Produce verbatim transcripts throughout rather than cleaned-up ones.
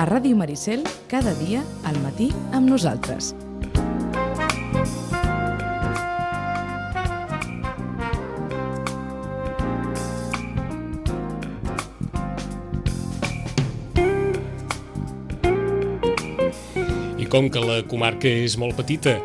A Ràdio Maricel, cada dia, al matí, amb nosaltres. I com que la comarca és molt petita,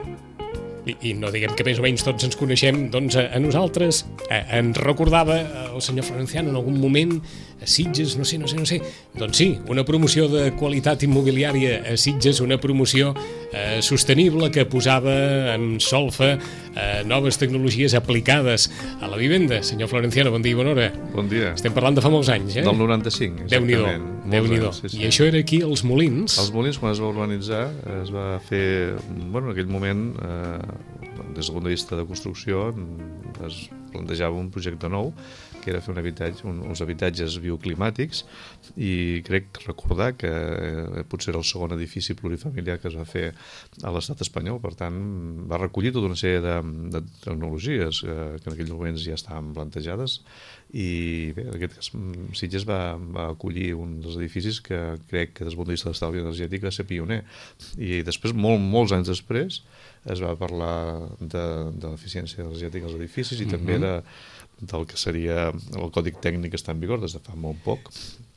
i, i no diguem que més o menys tots ens coneixem, doncs a, a nosaltres a, ens recordava el senyor Florenciano en algun moment a Sitges, no sé, no sé, no sé. Doncs sí, una promoció de qualitat immobiliària a Sitges, una promoció eh, sostenible que posava en solfa eh, noves tecnologies aplicades a la vivenda. Senyor Florenciano, bon dia i bona hora. Bon dia. Estem parlant de fa molts anys, eh? Del noranta-cinc, Déu-n'hi-do, Déu-n'hi-do. Sí, sí. I això era aquí, als Molins? Els Molins, quan es va urbanitzar, es va fer, bueno, en aquell moment, eh, des del punt de vista de construcció, es plantejava un projecte nou, que era fer un habitatge, un, uns habitatges bioclimàtics, i crec recordar que eh, potser era el segon edifici plurifamiliar que es va fer a l'estat espanyol. Per tant, va recollir tota una sèrie de, de tecnologies eh, que en aquells moments ja estaven plantejades, i bé, en aquest cas Sitges va, va acollir un dels edificis que crec que des del punt de vista de l'estalvi energètic va ser pioner, i després, molt, molts anys després, es va parlar de, de l'eficiència energètica als edificis i uh-huh. també de, del que seria el còdic tècnic que està en vigor des de fa molt poc,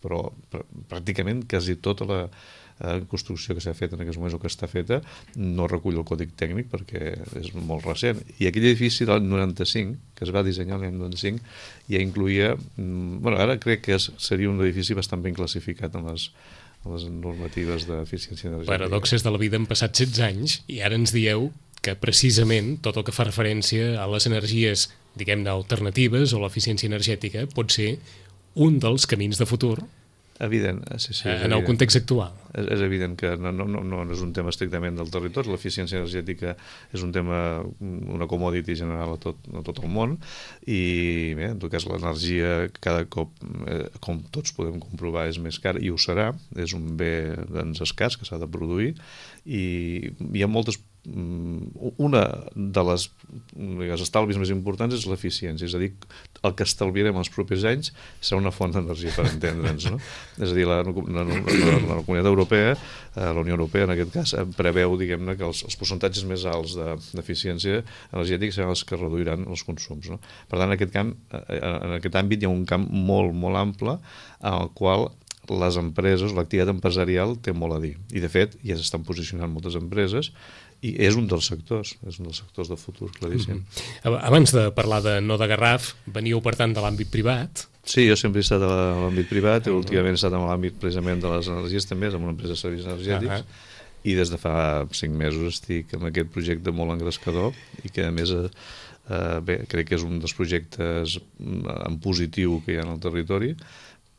però pr pràcticament quasi tota la eh, construcció que s'ha fet en aquests moments o que està feta no recull el còdic tècnic perquè és molt recent. I aquell edifici del noranta-cinc, que es va dissenyar l'any noranta-cinc, ja incluïa, bueno, ara crec que és, seria un edifici bastant ben classificat en les les normatives d'eficiència energètica. Paradoxes de la vida, han passat setze anys i ara ens dieu que precisament tot el que fa referència a les energies, diguem-ne, alternatives o l'eficiència energètica pot ser un dels camins de futur. Evident, sí, sí, en el context actual. És, és evident que no, no, no, no és un tema estrictament del territori, l'eficiència energètica és un tema, una commodity general a tot, a tot el món, i bé, en tot cas l'energia cada cop, eh, com tots podem comprovar, és més cara, i ho serà, és un bé doncs, escàs que s'ha de produir, i hi ha moltes una de les digues, estalvis més importants és l'eficiència, és a dir, el que estalviarem els propers anys serà una font d'energia, per entendre'ns, no? És a dir, la, la, la, la Comunitat Europea, la Unió Europea en aquest cas, preveu, diguem-ne, que els, els percentatges més alts d'eficiència energètica seran els que reduiran els consums, no? Per tant, en aquest camp, en aquest àmbit hi ha un camp molt, molt ample en el qual les empreses, l'activitat empresarial té molt a dir, i de fet ja s'estan posicionant moltes empreses i és un dels sectors, és un dels sectors de futur, claríssim. Mm-hmm. Abans de parlar de no de Garraf, veníeu per tant de l'àmbit privat? Sí, jo sempre he estat a l'àmbit privat, i últimament he estat en l'àmbit precisament de les energies també, amb una empresa de serveis energètics, uh-huh. i des de fa cinc mesos estic amb aquest projecte molt engrescador i que a més eh, bé, crec que és un dels projectes en positiu que hi ha en el territori,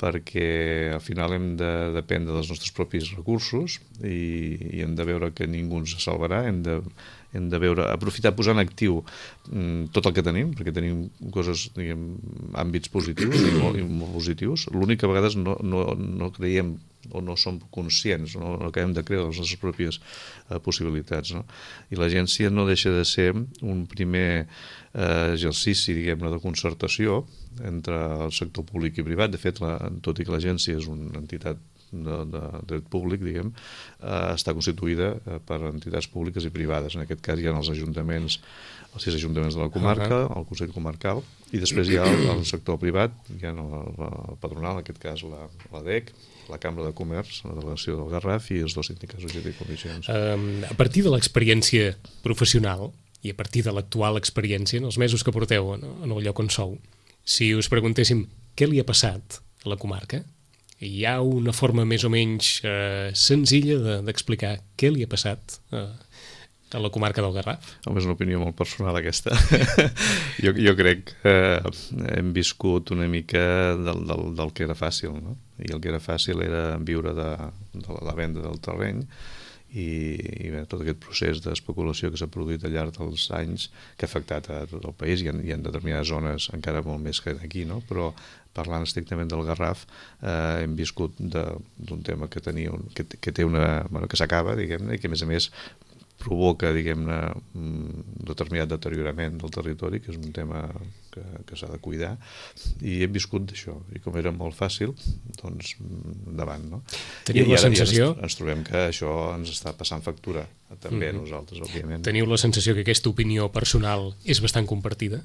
perquè al final hem de dependre dels nostres propis recursos i, i hem de veure que ningú ens salvarà, hem de, hem de veure, aprofitar, posar en actiu mm, tot el que tenim, perquè tenim coses, diguem, àmbits positius i molt, i molt positius. L'únic que a vegades no, no, no creiem o no som conscients, no, no acabem de creure les nostres pròpies eh, possibilitats, no? I l'agència no deixa de ser un primer eh, exercici, diguem-ne, de concertació entre el sector públic i privat. De fet, la, tot i que l'agència és una entitat de, de dret públic, diguem, eh, està constituïda eh, per entitats públiques i privades. En aquest cas hi ha els ajuntaments, els sis ajuntaments de la comarca, el Consell Comarcal, i després hi ha el, el sector privat, hi ha el, el patronal, en aquest cas la, la D E C, la Cambra de Comerç, la delegació del Garraf i els dos sindicats U G T i comissions. Um, a partir de l'experiència professional i a partir de l'actual experiència, en els mesos que porteu no, en el lloc on sou, si us preguntéssim què li ha passat a la comarca, hi ha una forma més o menys eh, senzilla d'explicar de, què li ha passat eh, a la comarca del Garraf? Home, és una opinió molt personal aquesta. jo, jo crec que hem viscut una mica del, del, del que era fàcil, no? I el que era fàcil era viure de, de la venda del terreny i, i bé, tot aquest procés d'especulació que s'ha produït al llarg dels anys que ha afectat a tot el país i en, i en determinades zones encara molt més que aquí, no? Però parlant estrictament del Garraf, eh, hem viscut d'un tema que, tenia un, que, que té una... Bueno, que s'acaba, diguem-ne, i que a més a més provoca, diguem-ne, un determinat deteriorament del territori, que és un tema que, que s'ha de cuidar, i hem viscut d'això, i com era molt fàcil, doncs endavant, no? Teniu I, la i ara, sensació... ens, ens trobem que això ens està passant factura, també a Mm-hmm. nosaltres, òbviament. Teniu la sensació que aquesta opinió personal és bastant compartida?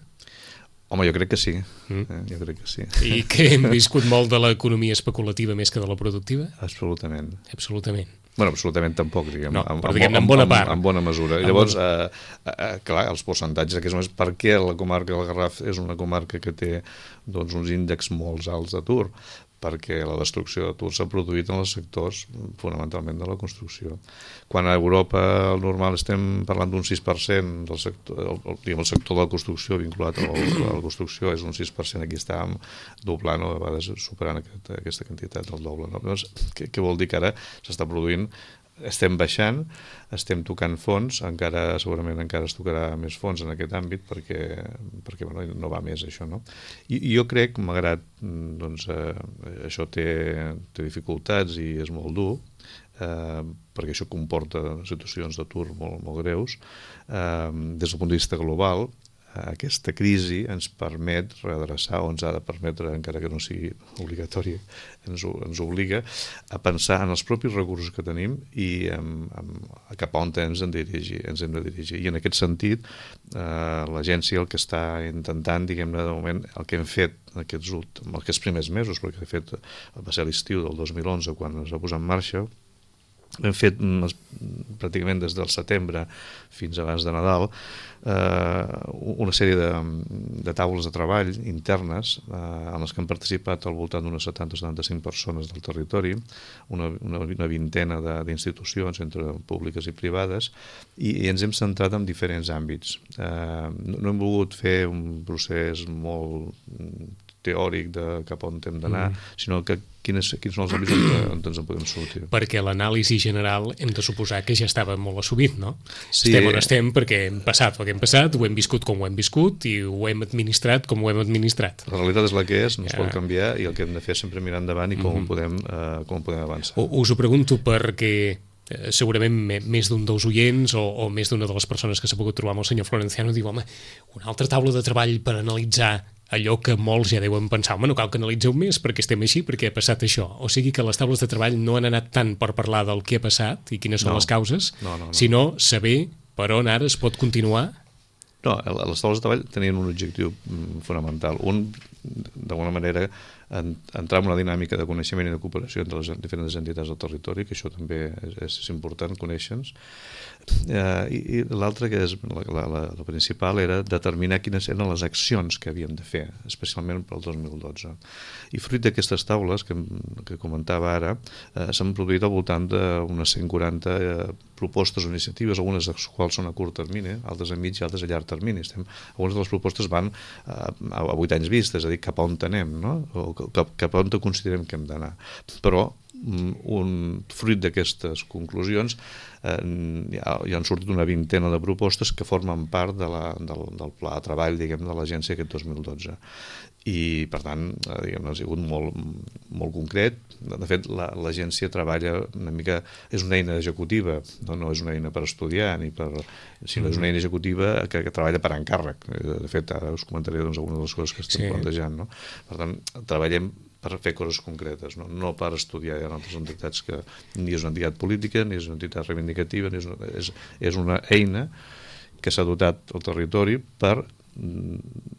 Home, jo crec que sí, Mm. eh? jo crec que sí. I que hem viscut molt de l'economia especulativa més que de la productiva? Absolutament. Absolutament. Bueno, absolutament tampoc, diguem. No, en, però diguem-ne en bona part. En, en bona mesura. En Llavors, bona... eh, eh, clar, els percentatges d'aquests moments, per què la comarca del Garraf és una comarca que té doncs, uns índexs molt alts d'atur? Perquè la destrucció d'atur s'ha produït en els sectors fonamentalment de la construcció. Quan a Europa el normal estem parlant d'un sis per cent del sector, el, el, diguem, el sector de la construcció vinculat a la, a la construcció és un sis per cent, aquí estàvem doblant o a vegades superant aquest, aquesta quantitat del doble. No? Llavors, què, què vol dir que ara s'està produint? Estem baixant, estem tocant fons, encara segurament encara es tocarà més fons en aquest àmbit perquè, perquè bueno, no va més això, no? I, i jo crec, malgrat doncs, eh, això té, té dificultats i és molt dur, eh, perquè això comporta situacions d'atur molt, molt greus, eh, des del punt de vista global, aquesta crisi ens permet redreçar, o ens ha de permetre, encara que no sigui obligatori, ens, ens obliga a pensar en els propis recursos que tenim i en, en, cap a on ens hem de dirigir, ens hem de dirigir. I en aquest sentit, eh, l'agència el que està intentant, diguem-ne, de moment, el que hem fet aquests, aquests primers mesos, perquè de fet va ser l'estiu del dos mil onze quan es va posar en marxa, hem fet pràcticament des del setembre fins abans de Nadal eh, una sèrie de, de taules de treball internes eh, en les que han participat al voltant d'unes setanta a setanta-cinc persones del territori, una, una, una vintena d'institucions entre públiques i privades, i, i ens hem centrat en diferents àmbits. Eh, no, no hem volgut fer un procés molt teòric de cap on hem d'anar, mm. sinó que quins, quins són els àmbits on, on ens en podem sortir. Perquè l'anàlisi general hem de suposar que ja estava molt assumit, no? Sí. Estem on estem perquè hem passat el que hem passat, ho hem viscut com ho hem viscut i ho hem administrat com ho hem administrat. La realitat és la que és, no es Ja. pot canviar i el que hem de fer és sempre mirar endavant i com, Mm-hmm. podem, uh, com podem avançar. U- Us ho pregunto perquè eh, segurament me- més d'un dels oients o, o més d'una de les persones que s'ha pogut trobar amb el senyor Florenciano diu, home, una altra taula de treball per analitzar allò que molts ja deuen pensar, home, no cal que analitzeu més perquè estem així, perquè ha passat això. O sigui que les taules de treball no han anat tant per parlar del que ha passat i quines són No. les causes, No, no, no. sinó saber per on ara es pot continuar. No, les taules de treball tenien un objectiu mm, fonamental. Un, d'alguna manera, en, entrar en una dinàmica de coneixement i de cooperació entre les diferents entitats del territori, que això també és, és important, conèixer-nos. Eh, I i l'altra, que és la, la, la, la principal, era determinar quines eren les accions que havíem de fer, especialment pel dos mil dotze. I fruit d'aquestes taules que, que comentava ara, eh, s'han produït al voltant d'unes cent quaranta eh, propostes o iniciatives, algunes de les quals són a curt termini, altres a mig i altres a llarg termini. Estem, algunes de les propostes van eh, a vuit anys vista, és a dir, cap a on anem, no? O cap, cap a on considerem que hem d'anar. Però un fruit d'aquestes conclusions eh, ja, ja han sortit una vintena de propostes que formen part de la, del, del pla de treball, diguem, de l'agència aquest dos mil dotze. I per tant, eh, diguem, ha sigut molt, molt concret. De fet, l'agència treballa una mica, és una eina executiva, no, no és una eina per estudiar ni per, sinó és una eina executiva que, que treballa per encàrrec. De fet, ara us comentaré doncs, algunes de les coses que estem Sí. plantejant, no? Per tant, treballem per fer coses concretes, no, no per estudiar. Hi ha altres entitats que ni és una entitat política, ni és una entitat reivindicativa, ni és una, és, és una eina que s'ha dotat al territori per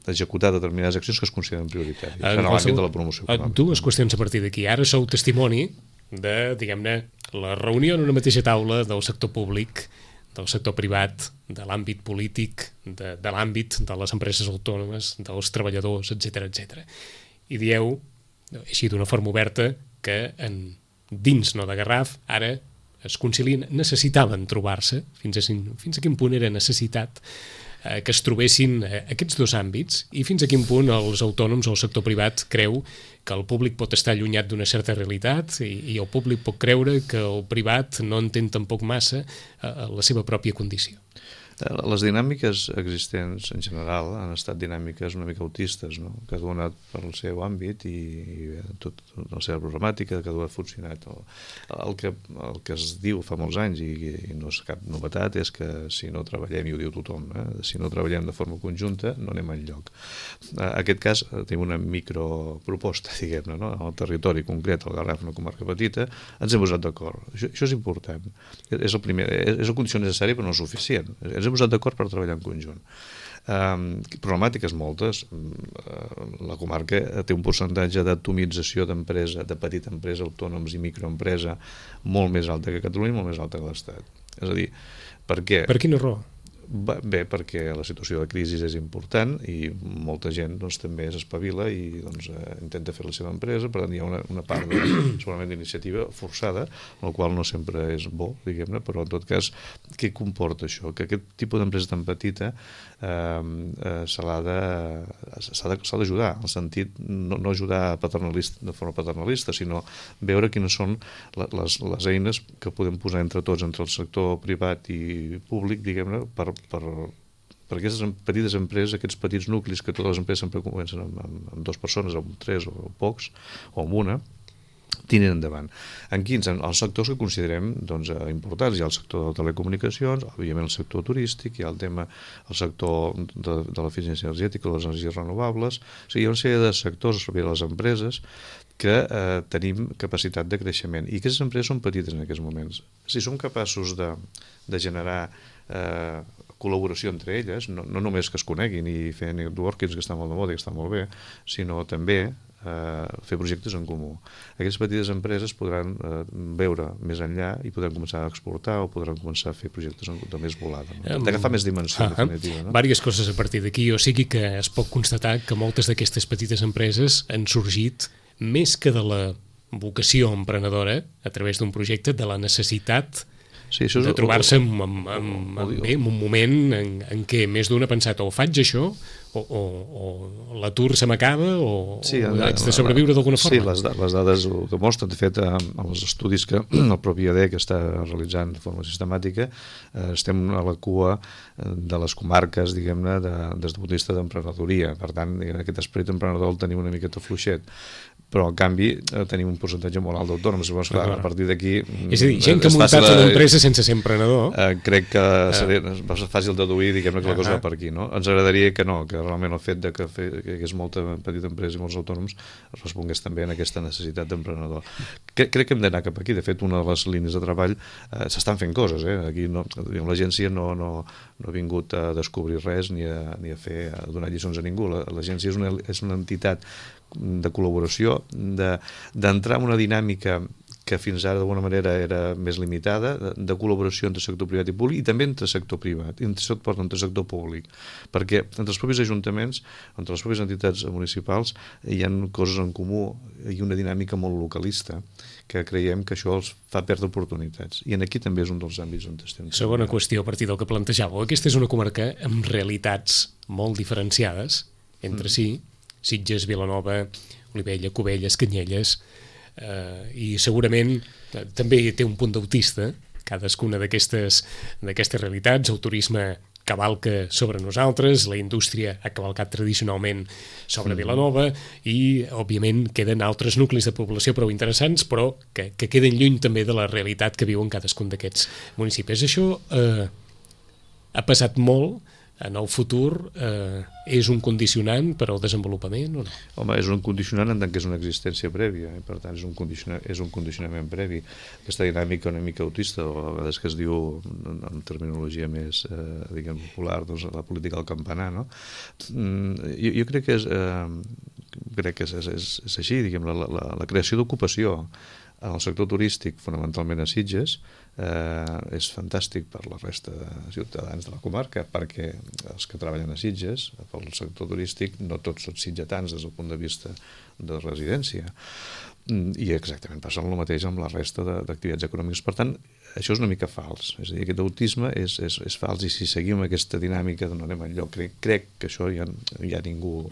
executar determinades accions que es consideren prioritàries en, en l'àmbit de la promoció econòmica. Dues qüestions a partir d'aquí. Ara sou testimoni de, diguem-ne, la reunió en una mateixa taula del sector públic, del sector privat, de l'àmbit polític, de, de l'àmbit de les empreses autònomes, dels treballadors, etcètera, etcètera. I dieu, així d'una forma oberta, que en, dins no de Garraf ara es concilien, necessitaven trobar-se, fins a, fins a quin punt era necessitat eh, que es trobessin eh, aquests dos àmbits i fins a quin punt els autònoms o el sector privat creu que el públic pot estar allunyat d'una certa realitat i, i el públic pot creure que el privat no entén tampoc massa eh, la seva pròpia condició. Les dinàmiques existents en general han estat dinàmiques una mica autistes, no? Cada un ha anat per el seu àmbit i, i tot, la seva problemàtica, cada un ha funcionat. El, el, que, el que es diu fa molts anys, i, i no és cap novetat, és que si no treballem, i ho diu tothom, eh? Si no treballem de forma conjunta no anem enlloc. En aquest cas tenim una microproposta, diguem-ne, no? En el territori concret, el Garraf, una comarca petita, ens hem posat d'acord. Això, això és important. És el primer, és el condició necessari però no suficient. Ens hem posat d'acord per treballar en conjunt. Um, problemàtiques moltes. La comarca té un percentatge d'atomització d'empresa, de petita empresa, autònoms i microempresa molt més alta que Catalunya i molt més alta que l'Estat. És a dir, per què? Per quina raó? Bé, perquè la situació de crisi és important i molta gent doncs, també s'espavila i doncs, eh, intenta fer la seva empresa, per tant hi ha una, una part de, segurament d'iniciativa forçada, el qual no sempre és bo, diguem-ne, però en tot cas, què comporta això? Que aquest tipus d'empresa tan petita eh, eh, se l'ha de, s'ha de, s'ha d'ajudar, en el sentit, no, no ajudar paternalista, de forma paternalista, sinó veure quines són les, les eines que podem posar entre tots, entre el sector privat i públic, diguem-ne, per per, per aquestes petites empreses, aquests petits nuclis que totes les empreses sempre comencen amb, amb, amb dues persones, o amb tres o pocs, o amb una, tiren endavant. En quins? En els sectors que considerem doncs, importants. Hi ha el sector de telecomunicacions, òbviament el sector turístic, hi ha el tema, el sector de, de l'eficiència energètica, les energies renovables. O sigui, hi ha una sèrie de sectors, sobretot les empreses, que eh, tenim capacitat de creixement. I aquestes empreses són petites en aquests moments. Si som capaços de, de generar eh, col·laboració entre elles, no, no només que es coneguin i fer networkings, que està molt de moda i que està molt bé, sinó també eh, fer projectes en comú. Aquestes petites empreses podran eh, veure més enllà i podran començar a exportar o podran començar a fer projectes de més volada, no? D'agafar més dimensió, en definitiva. No? Vàries coses a partir d'aquí, o sigui que es pot constatar que moltes d'aquestes petites empreses han sorgit més que de la vocació emprenedora a través d'un projecte, de la necessitat sí, això és, de trobar-se en, en, en, en, bé, en un moment en, en què més d'un ha pensat o faig això o, o, o l'atur se m'acaba o, sí, o haig de sobreviure d'alguna forma. Sí, les, les dades ho demostren. De fet, amb els estudis que el propi I A D E C està realitzant de forma sistemàtica, eh, estem a la cua de les comarques, diguem-ne, de, des del punt de vista d'emprenedoria. Per tant, aquest esperit emprenedor el tenim una miqueta fluixet. Però, en canvi, eh, tenim un percentatge molt alt d'autònoms. Llavors, clar, a partir d'aquí... És a dir, gent que ha muntat una empresa sense ser emprenedor... Eh, crec que seria uh. fàcil deduir, diguem-ne, que la cosa va per aquí, no? Ens agradaria que no, que realment el fet de que, fe, que hi hagués molta petita empresa i molts autònoms respongués també en aquesta necessitat d'emprenedor. Crec, crec que hem d'anar cap aquí. De fet, una de les línies de treball eh, s'estan fent coses, eh? Aquí no, l'agència no, no, no ha vingut a descobrir res ni a, ni a fer a donar lliçons a ningú. L'agència és una, és una entitat de col·laboració, d'entrar de, en una dinàmica que fins ara d'alguna manera era més limitada, de, de col·laboració entre sector privat i públic i també entre sector privat, entre sector, entre sector públic, perquè entre els propis ajuntaments, entre les pròpies entitats municipals hi ha coses en comú i una dinàmica molt localista que creiem que això els fa perdre oportunitats. I en aquí també és un dels àmbits on estem. Segona qüestió, a partir del que plantejàveu. Aquesta és una comarca amb realitats molt diferenciades entre mm. si, Sitges, Vilanova, Olivella, Cubelles, Canyelles, eh, i segurament eh, també té un punt d'autista, cadascuna d'aquestes d'aquestes realitats. El turisme cavalca sobre nosaltres, la indústria ha cavalcat tradicionalment sobre mm. Vilanova i, òbviament, queden altres nuclis de població prou interessants, però que, que queden lluny també de la realitat que viuen cadascun d'aquests municipis. Això eh, ha passat molt. En el futur eh, és un condicionant per al desenvolupament o no? Home, és un condicionant en tant que és una existència prèvia, eh? Per tant és un, condiciona és un condicionament previ. Aquesta dinàmica una mica autista, o a vegades que es diu en, en terminologia més eh, diguem, popular, doncs la política del campanar, no? Mm, jo, jo crec que és, eh, crec que és, és, és així, diguem, la, la, la creació d'ocupació en el sector turístic, fonamentalment a Sitges, eh, és fantàstic per la resta de ciutadans de la comarca, perquè els que treballen a Sitges, pel sector turístic, no tots són sitgetans des del punt de vista de residència. i exactament passa el mateix amb la resta d'activitats econòmiques. Per tant, això és una mica fals, és a dir, aquest autisme és, és, és fals, i si seguim aquesta dinàmica no anem enlloc. Crec, crec que això ja, ja ningú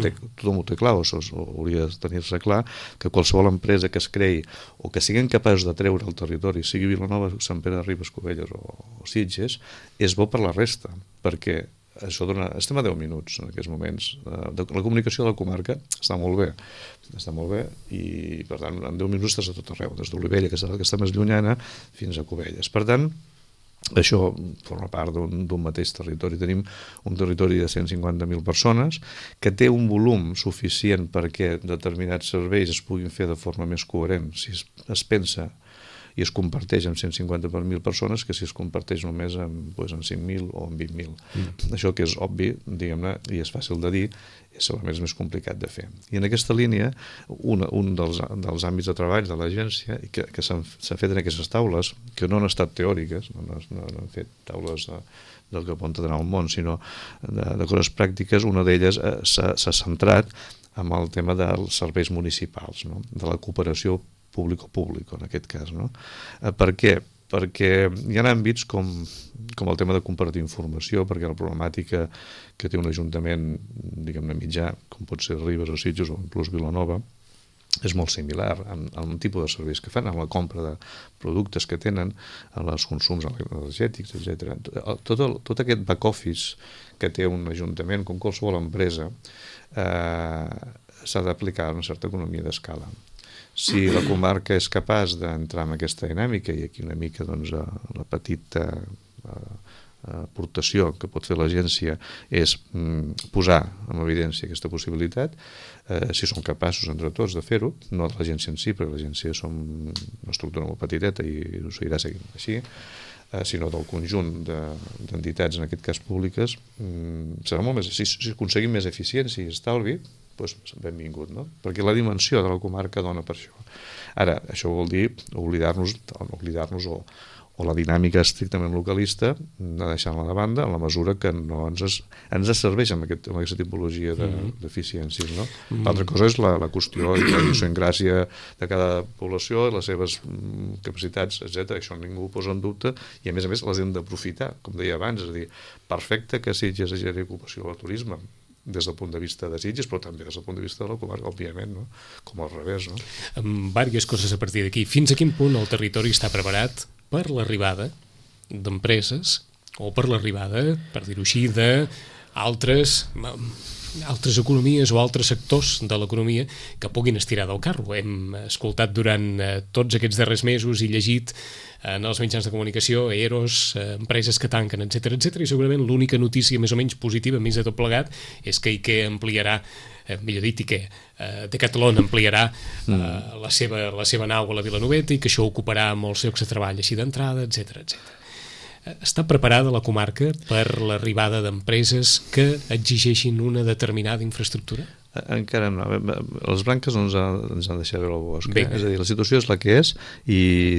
té, tothom ho té clar, o, o hauria de tenir-se clar, que qualsevol empresa que es creï o que siguin capaços de treure al territori, sigui Vilanova, Sant Pere de Ribes, Cubelles o, o Sitges, és bo per la resta, perquè això dona, estem a deu minuts en aquests moments. La comunicació de la comarca està molt bé, està molt bé, i per tant en deu minuts estàs a tot arreu, des d'Olivella, que està, que està més llunyana, fins a Cubelles. Per tant, això forma part d'un mateix territori. Tenim un territori de cent cinquanta mil persones que té un volum suficient perquè determinats serveis es puguin fer de forma més coherent si es, es pensa i es comparteix amb cent cinquanta per mil persones que si es comparteix només amb, doncs, amb cinc mil o amb vint mil. Mm. Això que és obvi, diguem-ne, i és fàcil de dir, és segurament més complicat de fer. I en aquesta línia, una, un dels, dels àmbits de treball de l'agència que, que s'han fet en aquestes taules, que no han estat teòriques, no, no, no han fet taules de, del que pot anar al món, sinó de, de coses pràctiques, una d'elles eh, s'ha centrat en el tema dels serveis municipals, no? De la cooperació público-públic, en aquest cas. No? Eh, per què? Perquè hi ha àmbits com, com el tema de compartir informació, perquè la problemàtica que té un ajuntament, diguem-ne, mitjà, com pot ser Ribes o Sitges o inclús Vilanova, és molt similar amb, amb el tipus de serveis que fan, amb la compra de productes que tenen, amb els consums energètics, etcètera. Tot, el, tot aquest back-office que té un ajuntament, com qualsevol empresa, eh, s'ha d'aplicar una certa economia d'escala. Si la comarca és capaç d'entrar en aquesta dinàmica, i aquí una mica doncs, la petita aportació que pot fer l'agència és mm, posar en evidència aquesta possibilitat, eh, si som capaços entre tots de fer-ho, no de l'agència en si, perquè l'agència som una estructura molt petiteta i ho seguirà seguint així, eh, sinó del conjunt d'entitats, de, en aquest cas públiques, mm, serà molt més, si, si aconseguim més eficiència i estalvi, doncs benvingut, no? Perquè la dimensió de la comarca dona per això. Ara, això vol dir oblidar-nos oblidar-nos o, o la dinàmica estrictament localista, de deixar-la de banda en la mesura que no ens, es, ens serveix amb, aquest, amb aquesta tipologia d'eficiències. De, no? Mm. L'altra cosa és la, la qüestió i la idiosincràsia de cada població, les seves mm, capacitats, etcètera. Això ningú ho posa en dubte i, a més a més, les hem d'aprofitar, com deia abans, és a dir, perfecte que Sitges generi ocupació al turisme, des del punt de vista de Sitges, però també des del punt de vista de la comarca, òbviament, no? Com al revés. No? Amb diverses coses a partir d'aquí. Fins a quin punt el territori està preparat per l'arribada d'empreses o per l'arribada, per dir-ho així, d'altres altres economies o altres sectors de l'economia que puguin estirar del carro. Hem escoltat durant eh, tots aquests darrers mesos i llegit eh, en els mitjans de comunicació E R Os, eh, empreses que tanquen, etcètera, etcètera, i segurament l'única notícia més o menys positiva, més de tot plegat, és que IKEA ampliarà, eh, millor dit, IKEA, eh, Decathlon ampliarà eh, mm. la, seva, la seva nau a la Vilanoveta i que això ocuparà molts llocs de treball així d'entrada, etcètera, etcètera. Està preparada la comarca per l'arribada d'empreses que exigeixin una determinada infraestructura? Encara no. Les branques no ens han, ens han deixat veure el bosc. Eh? És a dir, la situació és la que és i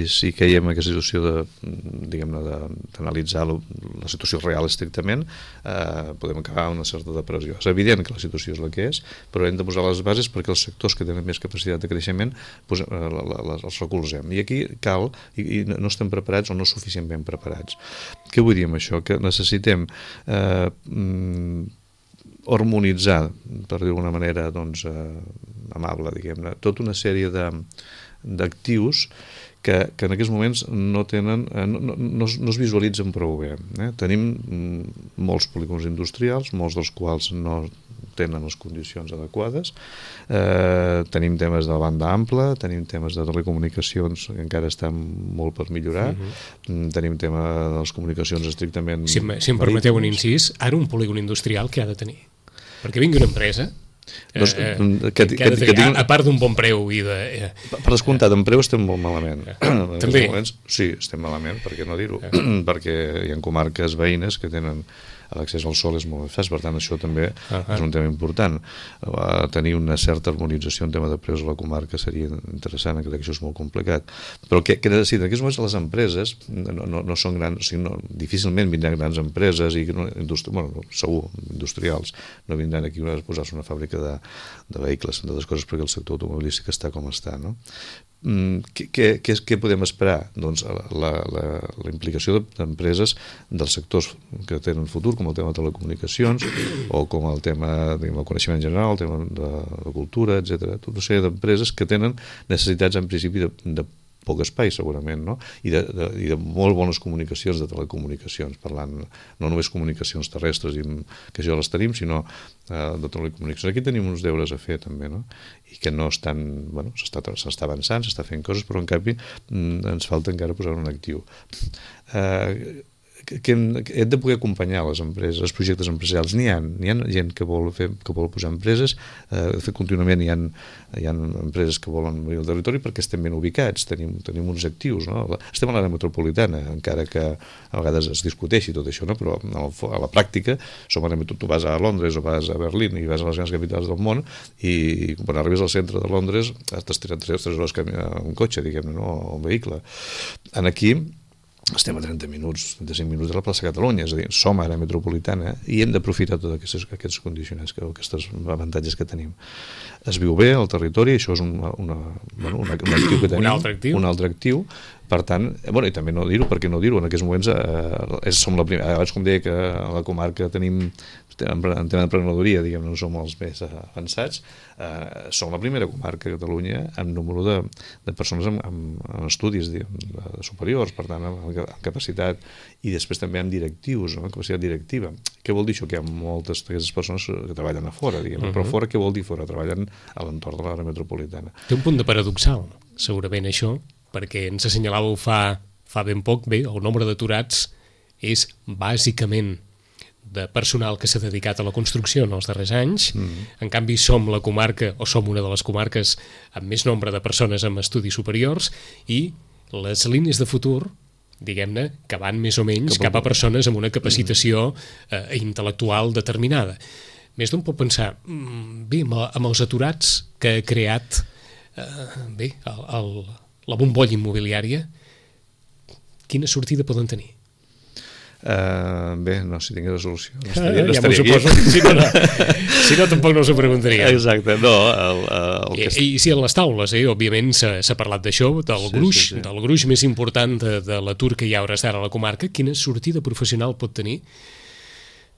si caiem en aquesta situació de, diguem-ne, d'analitzar la situació real estrictament, eh, podem acabar amb una certa depressió. És evident que la situació és la que és, però hem de posar les bases perquè els sectors que tenen més capacitat de creixement pues, eh, els recolzem. I aquí cal, i, i no estem preparats o no suficientment preparats. Què vull dir amb això? Que necessitem eh, harmonitzar, per dir d'alguna manera doncs, eh, amable, diguem-ne, tota una sèrie d'actius que, que en aquests moments no tenen, eh, no, no, no, no es visualitzen prou bé. Eh? Tenim molts polígons industrials, molts dels quals no tenen les condicions adequades, eh, tenim temes de banda ampla, tenim temes de telecomunicacions que encara estan molt per millorar, uh-huh. tenim tema de les comunicacions estrictament... Si, si em permeteu un incís, ara un polígon industrial què ha de tenir? Perquè vingui una empresa doncs, eh, que, que, que, que, que tinc... a part d'un bon preu i de... Eh, per descomptat, en preu estem molt malament. Eh, també? Moments, sí, estem malament, per què no dir-ho? Eh. Perquè hi ha comarques veïnes que tenen l'accés al sol és molt més fàcil, per tant això també uh-huh. és un tema important. Uh, tenir una certa harmonització en tema de preus a la comarca seria interessant, crec que això és molt complicat. Però què, què necessiten? En aquests moments les empreses no, no, no són grans, o sigui, no, difícilment vindran grans empreses, i no, industri, bueno, segur, industrials, no vindran aquí a posar-se una fàbrica de, de vehicles, entre altres coses, perquè el sector automobilístic està com està, no? Què, què, què podem esperar? Doncs la, la, la implicació d'empreses dels sectors que tenen futur, com el tema de telecomunicacions o com el tema del coneixement general, el tema de la cultura, etcètera. Tota una sèrie d'empreses que tenen necessitats en principi de, de poc espai segurament, no? I de, de, i de molt bones comunicacions, de telecomunicacions, parlant no només comunicacions terrestres, que això les tenim, sinó eh, de telecomunicacions. Aquí tenim uns deures a fer també, no? I que no estan, bueno, s'està avançant, s'està fent coses, però en canvi ens falta encara posar un actiu. Eh, que hem, que hem de poder acompanyar les empreses, els projectes empresarials. N'hi ha, n'hi ha gent que vol, fer, que vol posar empreses, eh, de fet contínuament hi ha, hi ha empreses que volen venir al territori perquè estem ben ubicats, tenim, tenim uns actius, no? Estem a l'àrea metropolitana, encara que a vegades es discuteixi tot això, no? Però a la pràctica som a tu vas a Londres o vas a Berlín i vas a les grans capitals del món i quan arribes al centre de Londres t'has tirat tres hores amb un cotxe, diguem-ne, no? O un vehicle. En aquí estem a trenta minuts, trenta-cinc minuts de la plaça Catalunya, és a dir, som ara metropolitana i hem d'aprofitar tots aquests, aquests condicionants, aquests avantatges que tenim. Es viu bé al territori, això és una, una, bueno, una, un actiu que tenim. Un altre actiu. Un altre actiu. Per tant, bueno, i també no dir-ho, perquè no dir-ho, en aquests moments eh, som la primera, abans com deia que a la comarca tenim, en tema d'emprenedoria, diguem, no som els més avançats, eh, som la primera comarca a Catalunya amb número de, de persones amb, amb, amb estudis diguem, superiors, per tant, amb, amb capacitat, i després també amb directius, no? Amb capacitat directiva. Què vol dir això? Que hi ha moltes d'aquestes persones que treballen a fora, diguem, uh-huh. Però fora què vol dir fora? Treballen a l'entorn de l'àrea metropolitana. Té un punt de paradoxal, segurament això, perquè ens assenyalàveu fa, fa ben poc, bé, el nombre d'aturats és bàsicament de personal que s'ha dedicat a la construcció en els darrers anys. Mm. En canvi, som la comarca, o som una de les comarques amb més nombre de persones amb estudis superiors, i les línies de futur, diguem-ne, que van més o menys cap a persones amb una capacitació eh, intel·lectual determinada. Més d'un pot pensar, bé, amb els aturats que ha creat eh, bé, el, el, la bombolla immobiliària, quina sortida poden tenir? Uh, bé, no, si tingués resolució no estaria, no ja estaria aquí. Si no, no, si no, tampoc no us ho preguntaria. Exacte, no. El, el I, que... I si en les taules, eh, òbviament s'ha parlat d'això, del sí, gruix, sí, sí. del gruix més important de, de l'atur que hi ha hores d'ara a la comarca, quina sortida professional pot tenir?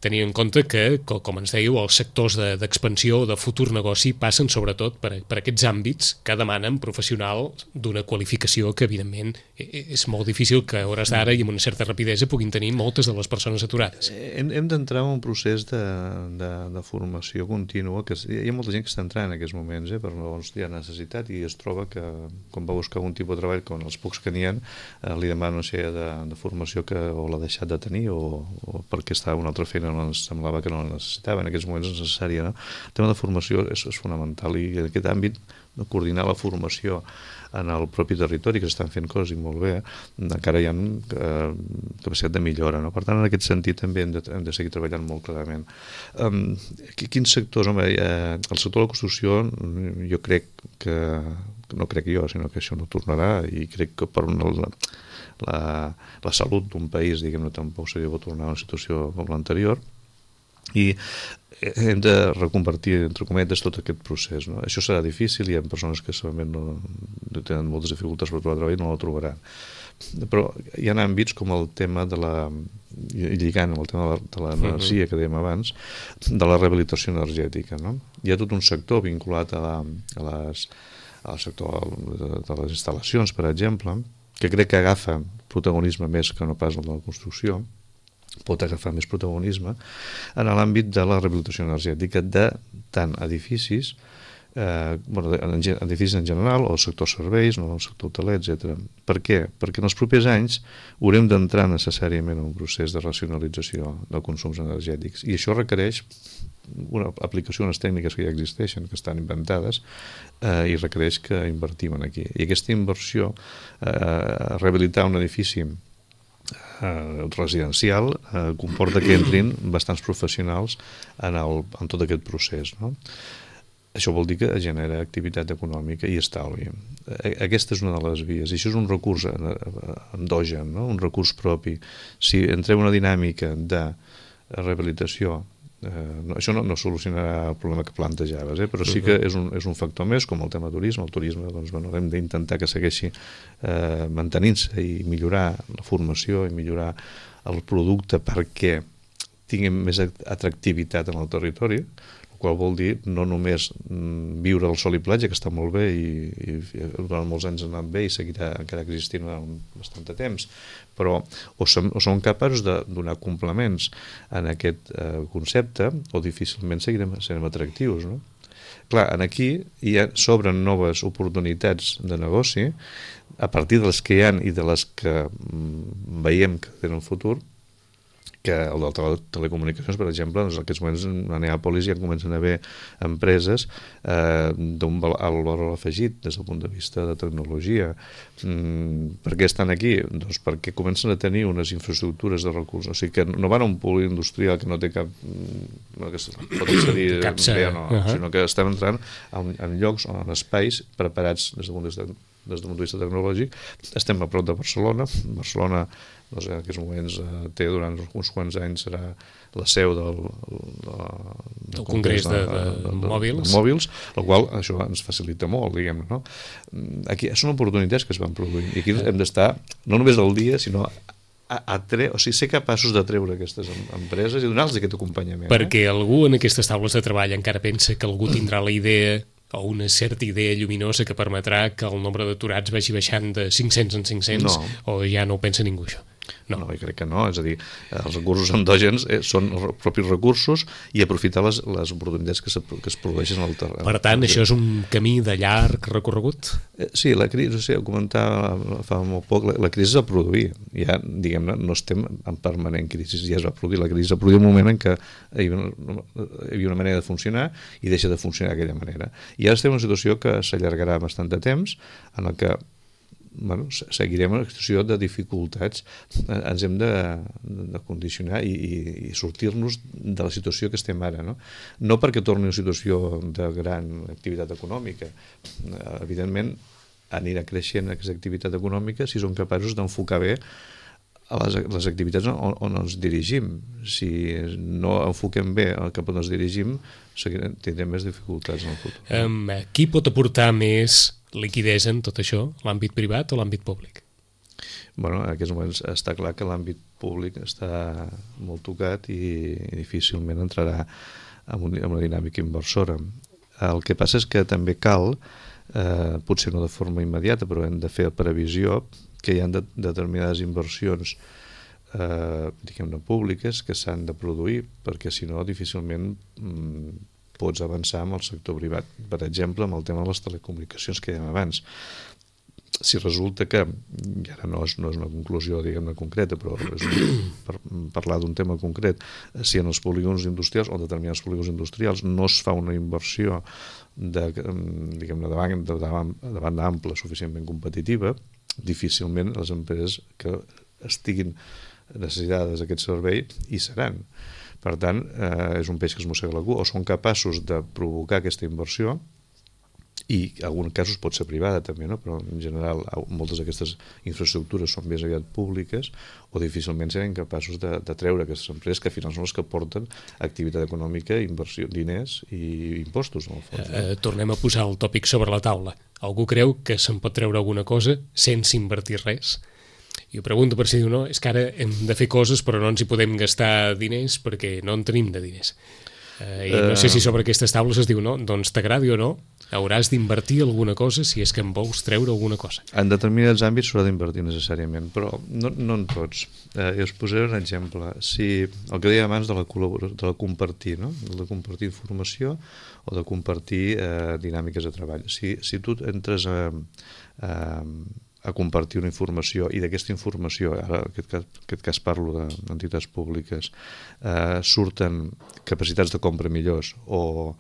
Tenir en compte que, com ens dèieu, els sectors d'expansió o de futur negoci passen sobretot per, per aquests àmbits que demanen professional d'una qualificació que, evidentment, és molt difícil que a hores d'ara i amb una certa rapidesa puguin tenir moltes de les persones aturades. Hem, hem d'entrar en un procés de, de, de formació contínua, que hi ha molta gent que està entrant en aquests moments, eh, però llavors hi ha necessitat i es troba que quan va buscar un tipus de treball, com els pocs que n'hi ha, eh, li demana una sèrie de, de formació que o l'ha deixat de tenir o, o perquè està una altra feina no ens semblava que no la necessitava, en aquests moments és necessària, no? El tema de formació és, és fonamental i en aquest àmbit de coordinar la formació en el propi territori, que s'estan fent coses i molt bé, encara hi ha eh, capacitat de millora, no? Per tant, en aquest sentit també hem de, hem de seguir treballant molt clarament. Um, quins sectors? Home, eh, el sector de la construcció jo crec que, no crec jo, sinó que això no tornarà i crec que per una... La, la, la salut d'un país, diguem-ne, tampoc seria bo tornar a una situació com l'anterior, i hem de reconvertir, entre cometes, tot aquest procés, no? Això serà difícil, hi ha persones que segurament no, no tenen moltes dificultats per trobar treball i no la trobaran. Però hi ha àmbits com el tema de la, lligant amb el tema de l'energia que dèiem abans, de la rehabilitació energètica, no? Hi ha tot un sector vinculat a, la, a les, al sector de, de les instal·lacions, per exemple, que crec que agafa protagonisme més que no pas el de la construcció, pot agafar més protagonisme en l'àmbit de la rehabilitació energètica de tant edificis, eh, bueno, edificis en general, o el sector serveis, no, el sector hoteler, etcètera. Per què? Perquè en els propers anys haurem d'entrar necessàriament en un procés de racionalització de consums energètics, i això requereix una aplicació, unes tècniques que ja existeixen, que estan inventades, eh, i requereix que invertim en aquí. I aquesta inversió, eh, rehabilitar un edifici eh, residencial eh, comporta que entrin bastants professionals en, el, en tot aquest procés, no? Això vol dir que genera activitat econòmica i estalvi. Aquesta és una de les vies, i això és un recurs endogen, no? Un recurs propi. Si entrem en una dinàmica de rehabilitació, eh, no, això no, no solucionarà el problema que plantejaves, eh? Però sí que és un, és un factor més, com el tema turisme. El turisme, doncs, bueno, hem d'intentar que segueixi eh, mantenint-se i millorar la formació i millorar el producte perquè tinguem més atractivitat en el territori, qual vol dir no només viure al sol i platja, que està molt bé i, i durant molts anys ha anat bé i seguirà encara existint durant bastant de temps, però o som, o som capaços de donar complements en aquest eh, concepte o difícilment seguirem sent atractius, no? Clar, aquí hi ha, s'obren noves oportunitats de negoci a partir de les que hi ha i de les que mm, veiem que tenen futur, que el de les telecomunicacions, per exemple, doncs en aquests moments a Neàpolis ja comencen a haver empreses eh, d'un valor afegit des del punt de vista de tecnologia. Mm, per què estan aquí? Doncs perquè comencen a tenir unes infraestructures de recursos. O sigui que no van a un pol industrial que no té cap... No, que pot accedir bé o no, uh -huh. sinó que estem entrant en, en llocs o en espais preparats des del punt de vista des del punt de vista tecnològic. Estem a prop de Barcelona. Barcelona doncs, en aquests moments eh, té durant uns quants anys serà la seu del, del, del Congrés de, de, de, de, de, mòbils. de mòbils, el qual això ens facilita molt, diguem-ne, no? Aquí són oportunitats que es van produint i aquí hem d'estar no només al dia, sinó a, a tre... o sigui, ser capaços de treure aquestes empreses i donar-los aquest acompanyament. Perquè eh? algú en aquestes taules de treball encara pensa que algú tindrà la idea o una certa idea lluminosa que permetrà que el nombre d'aturats vagi baixant de cinc-cents en cinc-cents, no. O ja no ho pensa ningú, això. No. no, jo crec que no, és a dir, els recursos endògens eh, són els propis recursos i aprofitar les, les oportunitats que, se, que es produeixen al terreny. Per tant, això és un camí de llarg recorregut? Eh, sí, la crisi, o sigui, ho comentava fa molt poc, la, la crisi es va produir, ja, diguem-ne, no estem en permanent crisi, ja es va produir, la crisi es va produir un moment en què hi havia una, hi havia una manera de funcionar i deixa de funcionar d'aquella manera. I ara estem en una situació que s'allargarà bastant de temps, en la que bueno, seguirem una situació de dificultats, ens hem de, de condicionar i, i, i sortir-nos de la situació que estem ara, no? No perquè torni una situació de gran activitat econòmica, evidentment anirà creixent aquesta activitat econòmica si som capaços d'enfocar bé les, les activitats on, on ens dirigim. Si no enfoquem bé cap on ens dirigim, seguirem, tindrem més dificultats en el futur. Um, qui pot aportar més liquidesa en tot això, l'àmbit privat o l'àmbit públic? Bueno, en aquests moments està clar que l'àmbit públic està molt tocat i, i difícilment entrarà en, un, en una dinàmica inversora. El que passa és que també cal, eh, potser no de forma immediata, però hem de fer previsió que hi ha de, determinades inversions eh, diguem-ne públiques que s'han de produir, perquè si no difícilment mm, pots avançar amb el sector privat, per exemple amb el tema de les telecomunicacions que dèiem abans. Si resulta que, i ara no és, no és una conclusió diguem-ne concreta, però és un, per parlar d'un tema concret, si en els polígons industrials o en determinats polígons industrials no es fa una inversió de, diguem-ne, de, banda, de, de banda ampla suficientment competitiva, difícilment les empreses que estiguin necessitades d'aquest servei hi seran. Per tant, eh, és un peix que es mossega la cua, o són capaços de provocar aquesta inversió, i en alguns casos pot ser privada també, no? Però en general moltes d'aquestes infraestructures són més aviat públiques, o difícilment seran capaços de, de treure aquestes empreses que al final són les que porten activitat econòmica, inversió, diners i impostos. En el fons, no? eh, tornem a posar el tòpic sobre la taula. Algú creu que se'n pot treure alguna cosa sense invertir res? I ho pregunto per si diu, no, és que ara hem de fer coses però no ens hi podem gastar diners perquè no en tenim de diners. Eh, I no sé si sobre aquestes taules es diu, no, doncs t'agradi o no, hauràs d'invertir alguna cosa si és que en vols treure alguna cosa. En determinats àmbits s'haurà d'invertir necessàriament, però no, no en tots. Eh, us posaré un exemple. Si el que deia abans de la col·laboració, de la compartir, no? De compartir informació o de compartir eh, dinàmiques de treball. Si, si tu entres a... a a compartir una informació i d'aquesta informació, ara en aquest cas, en aquest cas parlo d'entitats públiques, eh, surten capacitats de compra millors o,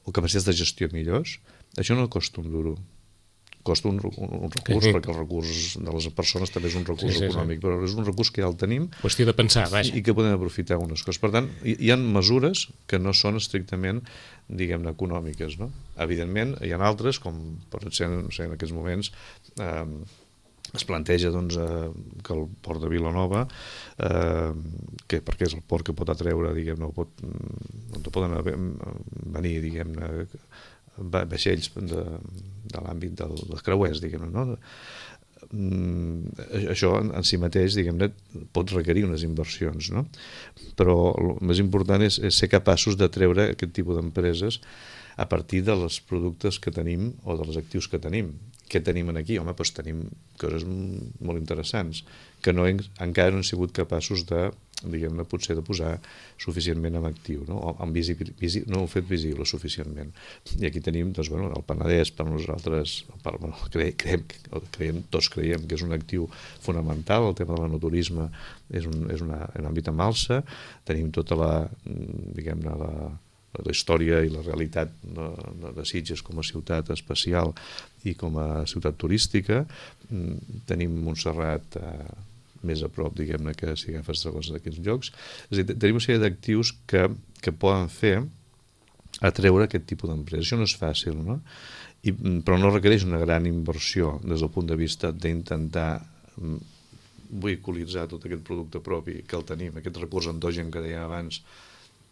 o capacitats de gestió millors, això no costa un duro. costa un, un, un recurs, sí, perquè el recurs de les persones també és un recurs sí, sí, econòmic, sí. Però és un recurs que ja el tenim. Qüestió de pensar, vaja. I que podem aprofitar unes coses. Per tant, hi, hi ha mesures que no són estrictament, diguem-ne, econòmiques, no? Evidentment, hi ha altres, com per exemple, no sé, en aquests moments eh, es planteja doncs, eh, que el port de Vilanova, eh, que, perquè és el port que pot atreure, diguem-ne, pot, on poden venir, diguem-ne, vaixells de, de l'àmbit del, dels creuers, diguem-ne, no? Això en si mateix, diguem-ne, pot requerir unes inversions, no? Però el més important és, és ser capaços de treure aquest tipus d'empreses a partir dels productes que tenim o dels actius que tenim. Què tenim aquí? Home, doncs tenim coses molt interessants que no hem, encara no hem sigut capaços de, diguem-ne, potser de posar suficientment en actiu, no? O en visibil, visi, no ho hem fet visible suficientment. I aquí tenim, doncs, bueno, el Penedès, per nosaltres, per, bueno, cre, creiem, creiem, tots creiem que és un actiu fonamental, el tema de l'enoturisme és, un, és una, un àmbit en alça, tenim tota la, diguem-ne, la la història i la realitat de, de Sitges com a ciutat especial i com a ciutat turística. Tenim Montserrat eh, més a prop, diguem-ne, que si agafes segons d'aquests llocs. És a dir, tenim una sèrie d'actius que, que poden fer atreure aquest tipus d'empresa. Això no és fàcil, no? I, però no requereix una gran inversió des del punt de vista d'intentar vehiculitzar tot aquest producte propi que el tenim, aquest recurs endogen que dèiem abans,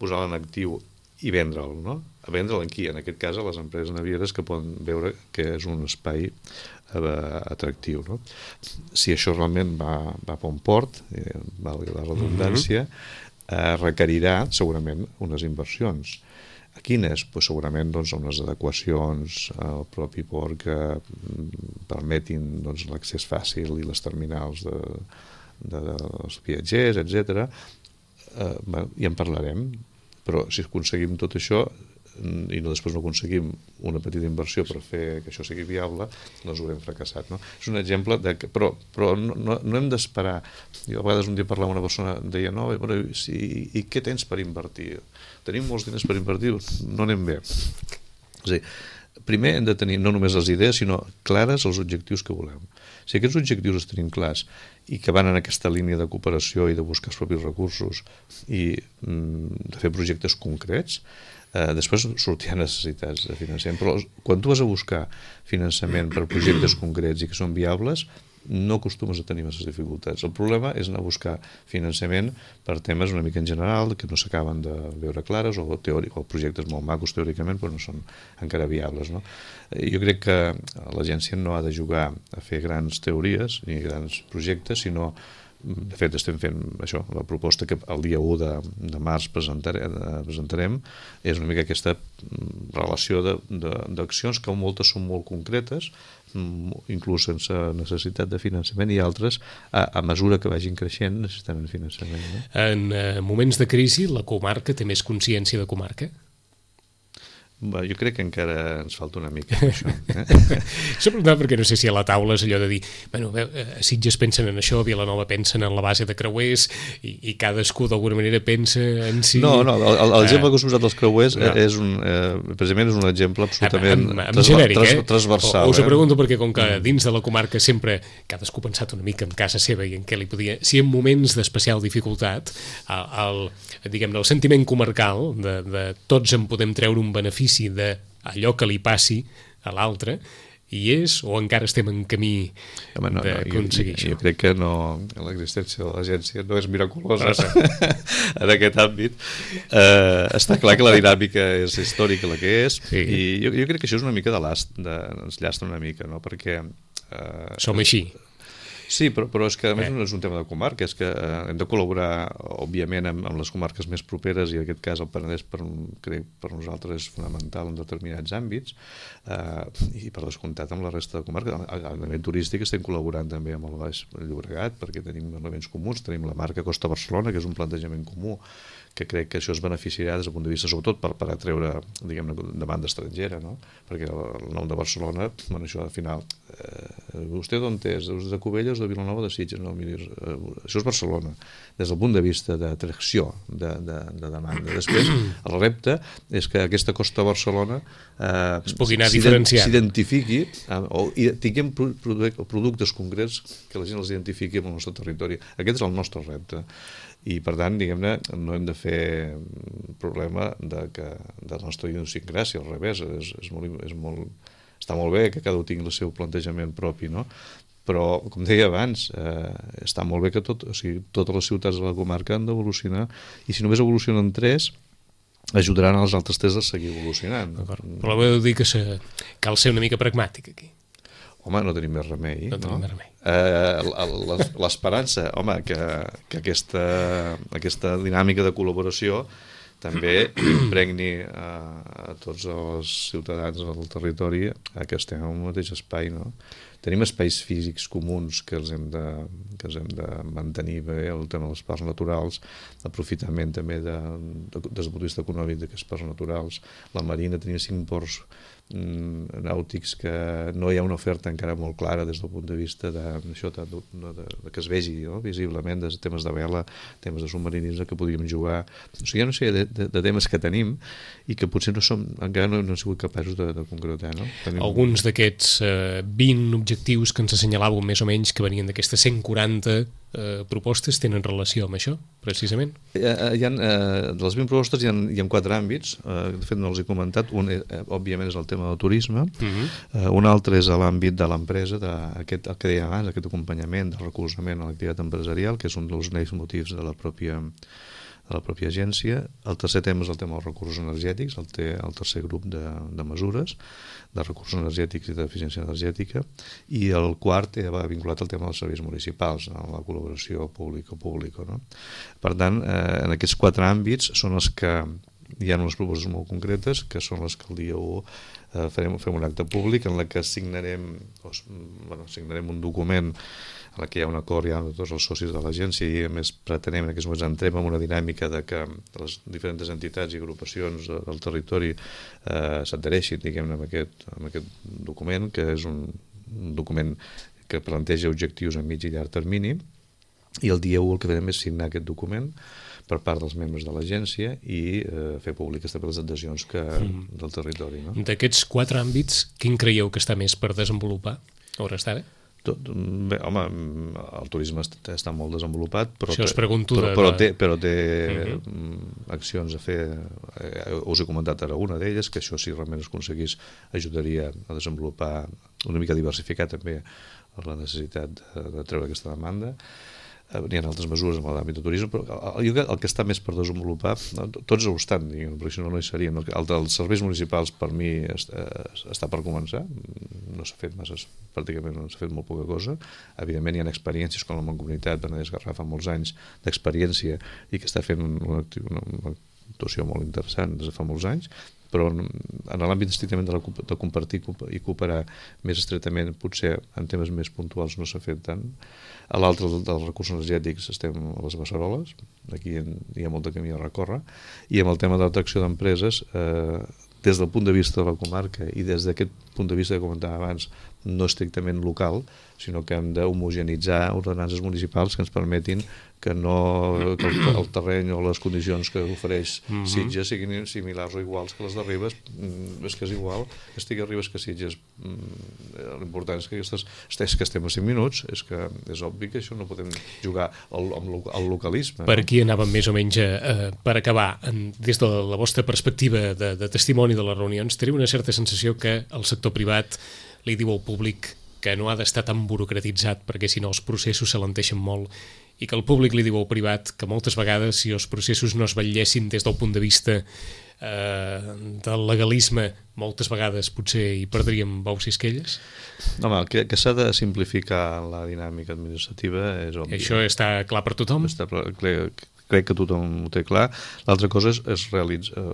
posar-lo en actiu i vendre'l, no? A vendre'l en qui? En aquest cas a les empreses navieres que poden veure que és un espai eh, atractiu, no? Si això realment va, va per un port, eh, valgui la redundància, eh, requerirà segurament unes inversions. A quines? Pues segurament doncs, unes adequacions al propi port que permetin doncs, l'accés fàcil i les terminals de, de, dels viatgers, etcètera. Eh, ja en parlarem. Però si aconseguim tot això i no, després no aconseguim una petita inversió per fer que això sigui viable, doncs haurem fracassat, no? És un exemple de que, però, però no, no, no hem d'esperar. Jo a vegades un dia parlava amb una persona, deia, no, però, si, i què tens per invertir? Tenim molts diners per invertir? No anem bé. És a dir, primer hem de tenir no només les idees, sinó clares els objectius que volem. Si aquests objectius els tenim clars i que van en aquesta línia de cooperació i de buscar els propis recursos i mm, de fer projectes concrets, eh, després sortiran necessitats de finançament. Però quan tu vas a buscar finançament per projectes concrets i que són viables, no acostumes a tenir masses dificultats. El problema és anar a buscar finançament per temes una mica en general que no s'acaben de veure clares o, teòric, o projectes molt macos teòricament però no són encara viables, no? Jo crec que l'agència no ha de jugar a fer grans teories ni grans projectes, sinó de fet estem fent això, la proposta que el dia u de, de març presentarem, presentarem és una mica aquesta relació d'accions que moltes són molt concretes, inclús sense necessitat de finançament, i altres a, a mesura que vagin creixent necessitaran finançament, no? En eh, moments de crisi la comarca té més consciència de comarca? Bé, jo crec que encara ens falta una mica això. Eh? Això preguntava perquè no sé si a la taula és allò de dir, bueno, a Sitges pensen en això, a Vilanova pensen en la base de creuers i, i cadascú d'alguna manera pensa en si... No, no, l'exemple que us he posat dels creuers no. és un, eh, precisament és un exemple absolutament en, en, en genèric, tras, eh? transversal. O, us ho eh? pregunto perquè com que dins de la comarca sempre cadascú ha pensat una mica en casa seva i en què li podia... Si en moments d'especial dificultat el, el, diguem-ne, el sentiment comarcal de, de tots en podem treure un benefici d'allò que li passi a l'altre hi és o encara estem en camí Home, no, d'aconseguir no, jo, això? Jo crec que no, l'existència de l'agència no és miraculosa en aquest àmbit. Eh, està clar que la dinàmica és històrica la que és sí. I jo, jo crec que això és una mica de last, de, ens llastra una mica, no? Perquè... Eh, Som així. Sí, però, però és que a més eh. no és un tema de comarca, és que eh, hem de col·laborar, òbviament, amb, amb les comarques més properes, i en aquest cas el Penedès per, crec, per nosaltres és fonamental en determinats àmbits, eh, i per descomptat amb la resta de comarques. A nivell turístic estem col·laborant també amb el Baix Llobregat, perquè tenim elements comuns, tenim la marca Costa Barcelona, que és un plantejament comú, que crec que això es beneficiarà des del punt de vista, sobretot per, per atreure, diguem-ne, demanda estrangera, no? Perquè el, el nom de Barcelona, bueno, això al final, eh, vostè d'on és? De Cubelles o de Vilanova de Sitges? No, miri, eh, això és Barcelona, des del punt de vista d'atracció, de, de, de demanda. Després, el repte és que aquesta costa de Barcelona eh, es pugui anar diferenciant, s'identifiqui eh, o tinguem productes concrets que la gent els identifiqui amb el nostre territori. Aquest és el nostre repte i per tant, diguem-ne, no hem de fer problema de, que, de la nostra idiosincràsia, al revés, és, és molt, és molt, està molt bé que cada un tingui el seu plantejament propi, no? Però, com deia abans, eh, està molt bé que tot, o sigui, totes les ciutats de la comarca han d'evolucionar i si només evolucionen tres ajudaran als altres tres a seguir evolucionant. Però voleu dir que se, cal ser una mica pragmàtic aquí. Home, no tenim més remei. No tenim no? més remei. Eh, l'esperança, home, que, que aquesta, aquesta dinàmica de col·laboració també impregni a, a tots els ciutadans del territori a que estem en un mateix espai, no? Tenim espais físics comuns que els hem de, que els hem de mantenir bé, el tema dels parcs naturals, l'aprofitament també de, de, des del punt de vista econòmic d'aquests parcs naturals. La Marina tenia cinc ports mm, nàutics que no hi ha una oferta encara molt clara des del punt de vista de, això, de, de, de, de que es vegi, no? Visiblement, des de temes de vela, temes de submarinisme que podríem jugar. O sigui, hi ha una sèrie de, de, de temes que tenim i que potser no som, encara no, no hem sigut capaços de, de concretar. No? Tenim... Alguns d'aquests eh, vint objectius que ens assenyalàveu més o menys que venien d'aquestes cent quaranta eh, propostes tenen relació amb això, precisament? Hi ha, hi ha, eh, de les vint propostes hi ha, hi ha quatre àmbits, eh, de fet no els he comentat, un eh, òbviament és el tema del turisme, uh-huh. eh, un altre és l'àmbit de l'empresa, de, aquest, el que deia abans, aquest acompanyament, del recolzament a l'activitat empresarial, que és un dels motius de la pròpia de la pròpia agència. El tercer tema és el tema dels recursos energètics, el, te, el tercer grup de, de mesures de recursos energètics i d'eficiència energètica, i el quart va vinculat al tema dels serveis municipals, a la col·laboració público-público. No? Per tant, eh, en aquests quatre àmbits són els que hi ha unes propostes molt concretes, que són les que el dia u eh, farem, fem un acte públic en la que signarem, doncs, bueno, signarem un document en la que hi ha un acord ja amb tots els socis de l'agència i a més pretenem en aquests moments entrem en una dinàmica de que les diferents entitats i agrupacions del territori eh, s'adhereixin, diguem-ne, amb aquest, amb aquest document, que és un, un document que planteja objectius a mig i llarg termini, i el dia u el que farem és signar aquest document per part dels membres de l'agència i eh, fer públiques també les adhesions que, mm. del territori. No? D'aquests quatre àmbits, quin creieu que està més per desenvolupar a hores d'ara? Tot, bé, home, el turisme està, està molt desenvolupat, però, Això us pregunto però, de, però té, però té uh-huh. accions a fer. Eh, us he comentat ara una d'elles, que això si realment es aconseguís ajudaria a desenvolupar una mica diversificar també la necessitat de, de treure aquesta demanda. N'hi ha altres mesures en l'àmbit de turisme, però el, el que està més per desenvolupar, no, tots ho estan, diguem, perquè si no, no hi serien. El dels serveis municipals, per mi, està, està per començar, no s'ha fet massa, pràcticament no s'ha fet molt poca cosa. Evidentment hi ha experiències com la Mancomunitat, Penedès Garraf, fa molts anys d'experiència i que està fent una, una, una actuació molt interessant des de fa molts anys, però en l'àmbit estrictament de, la, de compartir i cooperar més estretament, potser en temes més puntuals no s'ha fet tant. A l'altre dels recursos energètics estem a les Beceroles, aquí hi ha molt de camí a recórrer, i amb el tema de l'atracció d'empreses, eh, des del punt de vista de la comarca i des d'aquest punt de vista que comentava abans, no estrictament local, sinó que hem d'homogenitzar ordenances municipals que ens permetin que, no, que el, el terreny o les condicions que ofereix mm-hmm. Sitges siguin similars o iguals que les de Ribes. Mm, és que és igual, estigui a Ribes que Sitges. Mm, l'important és que aquestes, és que estem a cinc minuts, és que és obvi que això no podem jugar al, al localisme. Per aquí anàvem més o menys eh, per acabar. En, des de la vostra perspectiva de, de testimoni de les reunions, teniu una certa sensació que el sector privat li diu al públic que no ha d'estar tan burocratitzat perquè si no els processos s'alenteixen molt i que el públic li diu al privat que moltes vegades si els processos no es vetllessin des del punt de vista eh, del legalisme moltes vegades potser hi perdríem bous i esquelles? Home, que, que s'ha de simplificar la dinàmica administrativa és obvi. Això està clar per tothom? Està, crec, crec que tothom ho té clar. L'altra cosa és, és realitzar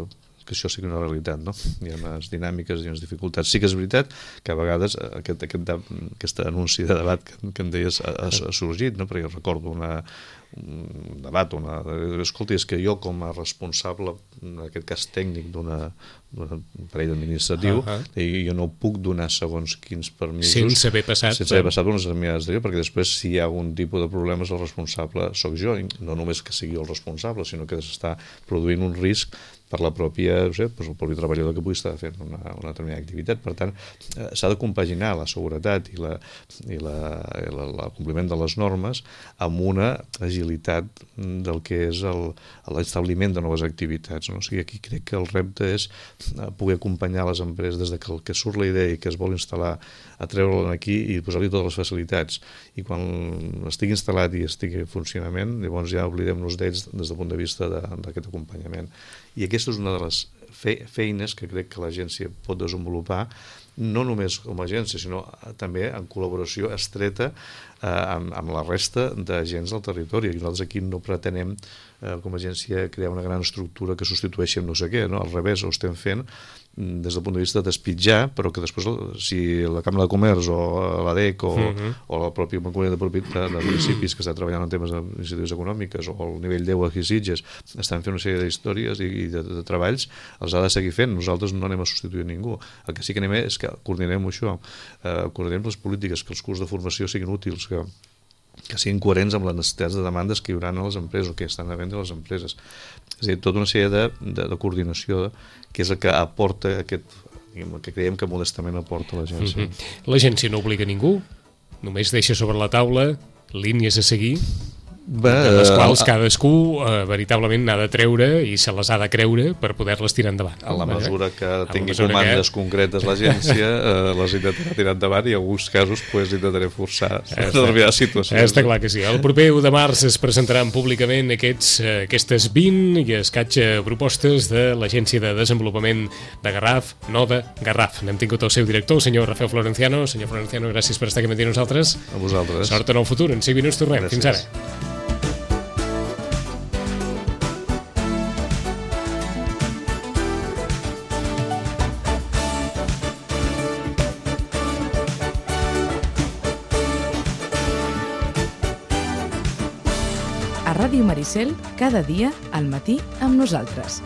que això sigui una realitat, no? Hi ha unes dinàmiques i unes dificultats. Sí que és veritat que a vegades aquest, aquest, aquest anunci de debat que, que em deies ha, ha sorgit, no? Perquè recordo una, un debat, una... escolta, és que jo com a responsable, en aquest cas tècnic d'un parell administratiu, uh -huh. jo no puc donar segons quins permisos sense haver passat, sense haver passat unes administracions, perquè després si hi ha algun tipus de problemes el responsable sóc jo, no només que sigui el responsable, sinó que s'està produint un risc per la pròpia, no sé, doncs el propi treballador que pugui estar fent una, una determinada activitat. Per tant, eh, s'ha de compaginar la seguretat i, la, i, la, i la, el compliment de les normes amb una agilitat del que és l'establiment de noves activitats. No? O sigui, aquí crec que el repte és poder acompanyar les empreses des de que, el que surt la idea i que es vol instal·lar, a treure-la aquí i posar-li totes les facilitats. I quan estigui instal·lat i estigui en funcionament, llavors ja oblidem-nos d'ells des del punt de vista d'aquest acompanyament. I aquesta és una de les fe feines que crec que l'agència pot desenvolupar, no només com a agència, sinó també en col·laboració estreta eh, amb, amb la resta d'agents del territori. I nosaltres aquí no pretenem, eh, com a agència, crear una gran estructura que substitueixi amb no sé què, no? Al revés, ho estem fent des del punt de vista d'espitjar, però que després, si la Cambra de Comerç o l'A D E C o, uh -huh. o la pròpia Comunitat de, de municipis que està treballant en temes d'iniciatives econòmiques o el nivell deu aquí a Sitges estan fent una sèrie d'històries i de, de treballs, els ha de seguir fent. Nosaltres no anem a substituir ningú. El que sí que anem és que coordinem això, eh, coordinem les polítiques, que els curs de formació siguin útils, que que siguin coherents amb les necessitats de demandes que hi haurà a les empreses o que estan a vendre a les empreses. És a dir, tota una sèrie de, de, de coordinació que és el que aporta aquest, que creiem que modestament aporta l'agència. Mm-hmm. L'agència no obliga ningú, només deixa sobre la taula línies a seguir, Bé, de les quals cadascú eh, veritablement n'ha de treure i se les ha de creure per poder-les tirar endavant. A la mesura que tingui mesura comandes que... concretes l'agència, eh, les intentarà tirar endavant i en alguns casos pues, intentaré forçar determinades situacions. Està clar que sí. El proper u de març es presentaran públicament aquests, eh, aquestes vint i escatxa propostes de l'Agència de Desenvolupament de Garraf, no de Garraf. N'hem tingut el seu director, el senyor Rafael Florenciano. Senyor Florenciano, gràcies per estar aquí amb nosaltres. A vosaltres. Sort en el futur. En cinc minuts tornem. Gràcies. Fins ara. A Ràdio Maricel, cada dia al matí amb nosaltres.